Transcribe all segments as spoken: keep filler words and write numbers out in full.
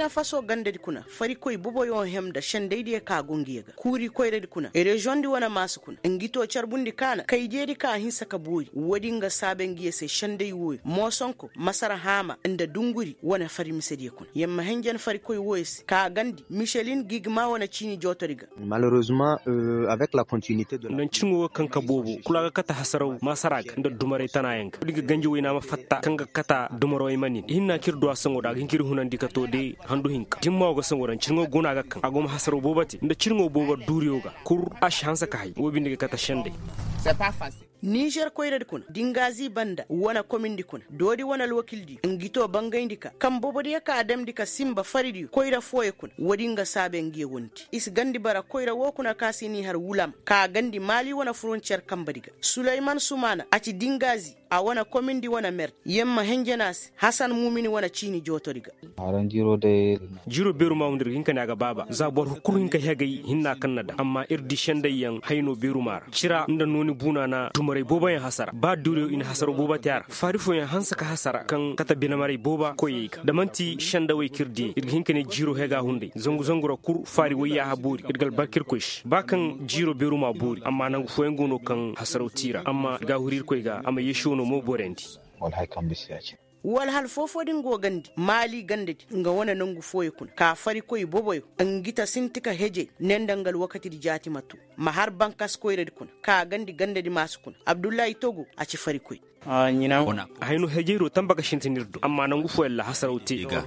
Faso gandadi kuna farikoy boboyo hem nda sendaydiyo ka go ngiyo ga kuuri koyradi kuna reziyoŋdi wane maasu kuna ngi to carbundi kaana kaydiyadi ka hinsa ka boori woodi nga saabe ngiyo se senday wooyo moosonko masara haama nda dunguri wane fari misediyo kuna yer ma henjen farikoy wooyo se ka gandi michelin gigma wane ciini jootori ga. Nda ncirŋo ga kaŋ ka boobo kulu a ga kate hasaraw maasara ga nda dumaray tanaayaŋ ga woodi ga ganji wayna ma fatta kaŋ ga kate dumarawey ma nin i hinna kaŋ ir du a saŋo da a ga hin ka ir hunandi ka too de handu hinka dimma wo ga saŋo da ncirŋo go no a ga kaŋ a go ma hasaraw boobo te nda cirŋo boobo duuriyo ga kul a si hanse ka hay woo binde ga kate senday. Nizer koyradi kuna dingazi banda wane komindi kuna doodi wane alwakildiyo ngi to bangayndi ka kaŋ boobodiyo ka a damndi ka sinba faridiyo koyra fooyo kuna woodi nga saabe ngiyo wondi i si gandi bara koyra woo kuna ka se n'i har wulam ka gandi maali wane furontiyer kambadi ga suleyman sumaana a ci dingazi a wane komindi wane merdi yer ma henjen a se hasan mumini wane ciini jootori ga. Jiiro beeru maa wunda ir ga hin ka ne a ga baaba za boro kul hin ka hegay hinna kaŋ na daŋ amma ir di sendayyaŋ hayno beeru maa ra cira nda nooni buuna na dumaray booboyaŋ hasara ba duuriyo i na hasara boobo te a ra faari fooyaŋ hanse ka hasara kaŋ kate binemaray booba koyey ga da man'ti sendawey kaŋ ir di ir ga hin ka ne jiiro hega hunday zangu zangu ra kul faari wayyaaha boori ir ga albarka irkoy se ba kaŋ jiiro beeru maa boori amma nangu fooyaŋ go no kaŋ hasaraw te i ra amma ir ga a huru irkoy ga a ma yeesi wano mo borandi. Wala hal foofoo din go gandi maali gandadi nga wane nangu fooyo kuna ka farikoy boboyo ngi ta sinti ka hejey ne nda nga alwakatidi jaati ma too ma har bankas koyradi kuna ka gandi gandadi maasu kuna abdullahi togo a ci farikoy. Hayno hejey do tamba ga sintin ir do amma nangu fooyaŋ ra hasaraw te i ga.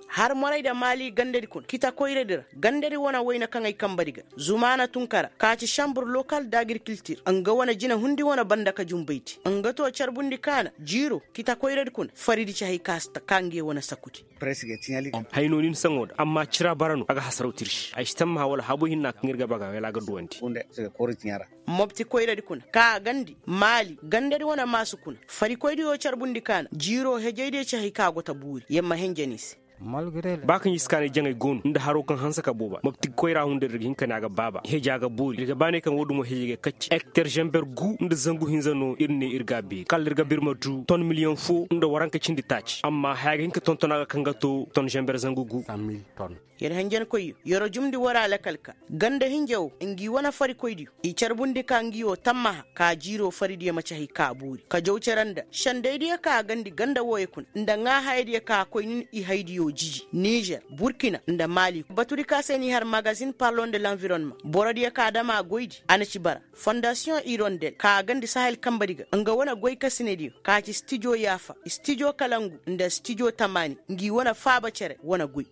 Har moray nda maali gandadi kuna kita koyradi ra gandadi wane wayna kaŋ ay kambadi ga zumaana tun kara ka ci sanbur lokal d'agirikiltir nga wane jinahundi wane banda ka junbaydi nga to carbundi kaana jiiro kita koyradi kuna faridi ci hay ka si ta ka ngiyo wane sakudi. Hay no nin saŋo da amma cira bara no a ga hasaraw tirsi ay si tammaha wala habo hinna kaŋ ir ga baga wala a ga duwandi. Mobti koyradi kuna ka a gandi maali gandadi wane maasu kuna farikoydiyo carbundi kaana jiiro hejaydiyo ci hay ka go ta buuri yer ma henjani se. Ba kaŋ i si kaanay jaŋay go no nda haro kaŋ hanse ka booba mobti koyra hunday ir ga hin ka ne a ga baaba heja ga boori ir ga baanay kaŋ woo dumo hejay ga kacci ekter zamber gu nda zangu hinza no ir ne ir ga a beeri kala ir ga bir ma du ton miliyoŋ foo nda waranka cindi taaci amma haya ga hin ka tonton a ga kaŋ ga too ton zamber zangu gu. Yer henjenkoyyo yer jumndi war alakal ka ganda hinja wo ngi wane farikoydiyo i carbundi ka ngi wo tammaha ka jiiro faridiyo ma ci hay ka boori ka jaw cere nda sendaydiyo ka a gandi ganda wooyo kuna nda ŋaahayadiyo ka a koy nin i haydiyo jiji nizer burkina nda maali batudi ka se n'i har magazin parlon de l'environnement borodiyo ka a dam a goydi a na ci bara fondasiyoŋ irondel ka a gandi sahel kambadi ga nga wane goykasinediyo ka ci stijo yaafa stijo kalangu nda stijo tamaani ngi wane faaba cere wane goy.